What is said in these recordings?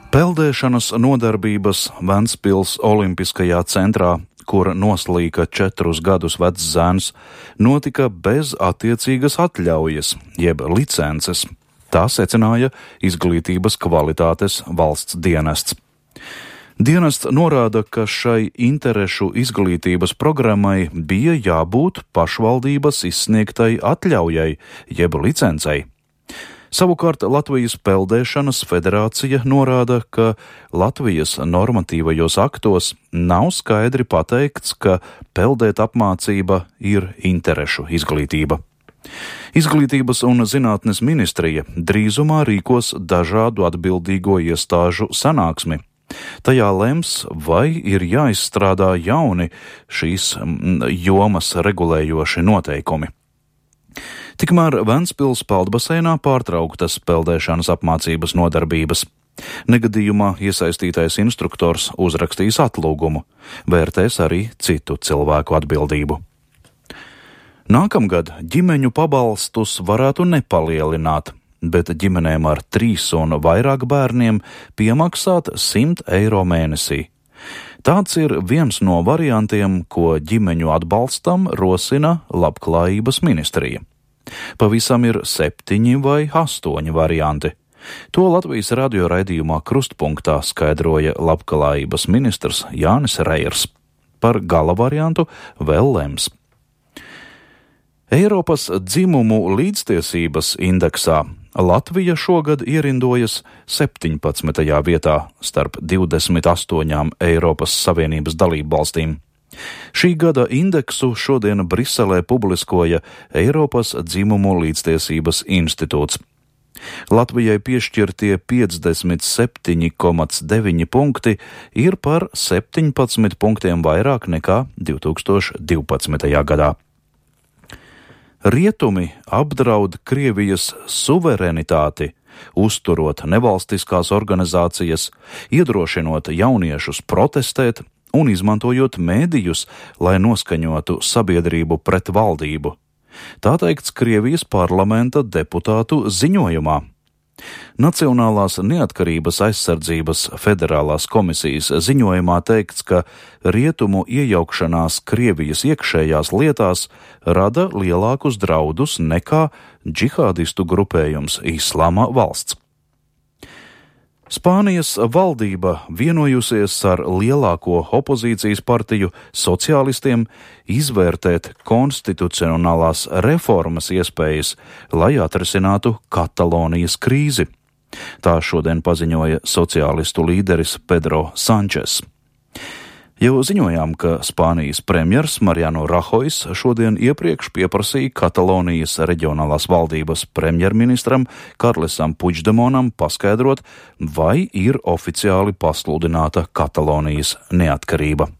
Peldēšanas nodarbības Ventspils Olimpiskajā centrā, kur noslīka 4 gadus vecs zēns, notika bez attiecīgas atļaujas, jeb licences. Tā secināja Izglītības kvalitātes valsts dienests. Dienests norāda, ka šai interešu izglītības programmai bija jābūt pašvaldības izsniegtai atļaujai, jeb licencei. Savukārt Latvijas Peldēšanas federācija norāda, ka Latvijas normatīvajos aktos nav skaidri pateikts, ka peldēt apmācība ir interešu izglītība. Izglītības un zinātnes ministrija drīzumā rīkos dažādu atbildīgo iestāžu sanāksmi. Tajā lems, vai ir jāizstrādā jauni šīs jomas regulējoši noteikumi. Tikmēr Ventspils peldbaseinā pārtrauktas peldēšanas apmācības nodarbības. Negadījumā iesaistītais instruktors uzrakstīs atlūgumu, vērtēs arī citu cilvēku atbildību. Nākamgad ģimeņu pabalstus varētu nepalielināt, bet ģimenēm ar 3 un vairāk bērniem piemaksāt 100 eiro mēnesī. Tāds ir viens no variantiem, ko ģimeņu atbalstam rosina Labklājības ministrija. Pavisam ir 7 vai 8 varianti. To Latvijas radio raidījumā Krustpunktā skaidroja Labklājības ministrs Jānis Reiers. Par gala variantu vēl lems. Eiropas dzimumu līdztiesības indeksā Latvija šogad ierindojas 17. vietā starp 28 Eiropas Savienības dalību valstīm. Šī gada indeksu šodien Briselē publiskoja Eiropas dzimumu līdztiesības institūts. Latvijai piešķirtie 57,9 punkti ir par 17 punktiem vairāk nekā 2012. gadā. Rietumi apdraud Krievijas suverenitāti, uzturot nevalstiskās organizācijas, iedrošinot jauniešus protestēt un izmantojot mēdījus, lai noskaņotu sabiedrību pret valdību. Tā teikts Krievijas parlamenta deputātu ziņojumā. Nacionālās neatkarības aizsardzības federālās komisijas ziņojumā teikts, ka rietumu iejaukšanās Krievijas iekšējās lietās rada lielākus draudus nekā džihādistu grupējums Islama valsts. Spānijas valdība vienojusies ar lielāko opozīcijas partiju sociālistiem izvērtēt konstitucionālās reformas iespējas, lai atrisinātu Katalonijas krīzi. Tā šodien paziņoja sociālistu līderis Pedro Sančes. Jau ziņojām, ka Spānijas premjers Mariano Rahojs šodien iepriekš pieprasīja Katalonijas reģionālās valdības premjerministram Karlesam Puigdemonam paskaidrot, vai ir oficiāli pasludināta Katalonijas neatkarība.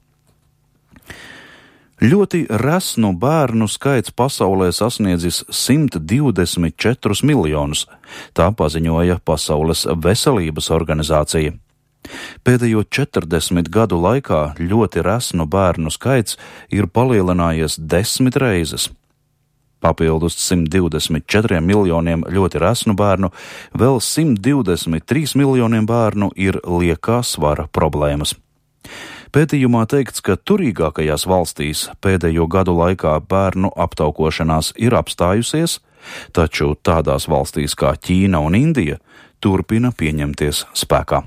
Ļoti resnu bērnu skaits pasaulē sasniedzis 124 miljonus, tā paziņoja Pasaules veselības organizācija. Pēdējo 40 gadu laikā ļoti resnu bērnu skaits ir palielinājies 10 reizes. Papildus 124 miljoniem ļoti resnu bērnu, vēl 123 miljoniem bērnu ir liekā svara problēmas. Pētījumā teikts, ka turīgākajās valstīs pēdējo gadu laikā bērnu aptaukošanās ir apstājusies, taču tādās valstīs kā Ķīna un Indija turpina pieņemties spēkā.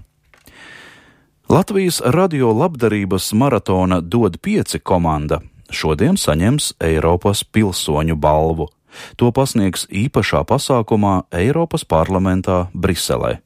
Latvijas radio labdarības maratona Dod 5 komanda šodien saņems Eiropas pilsoņu balvu. To pasniegs īpašā pasākumā Eiropas parlamentā Briselē.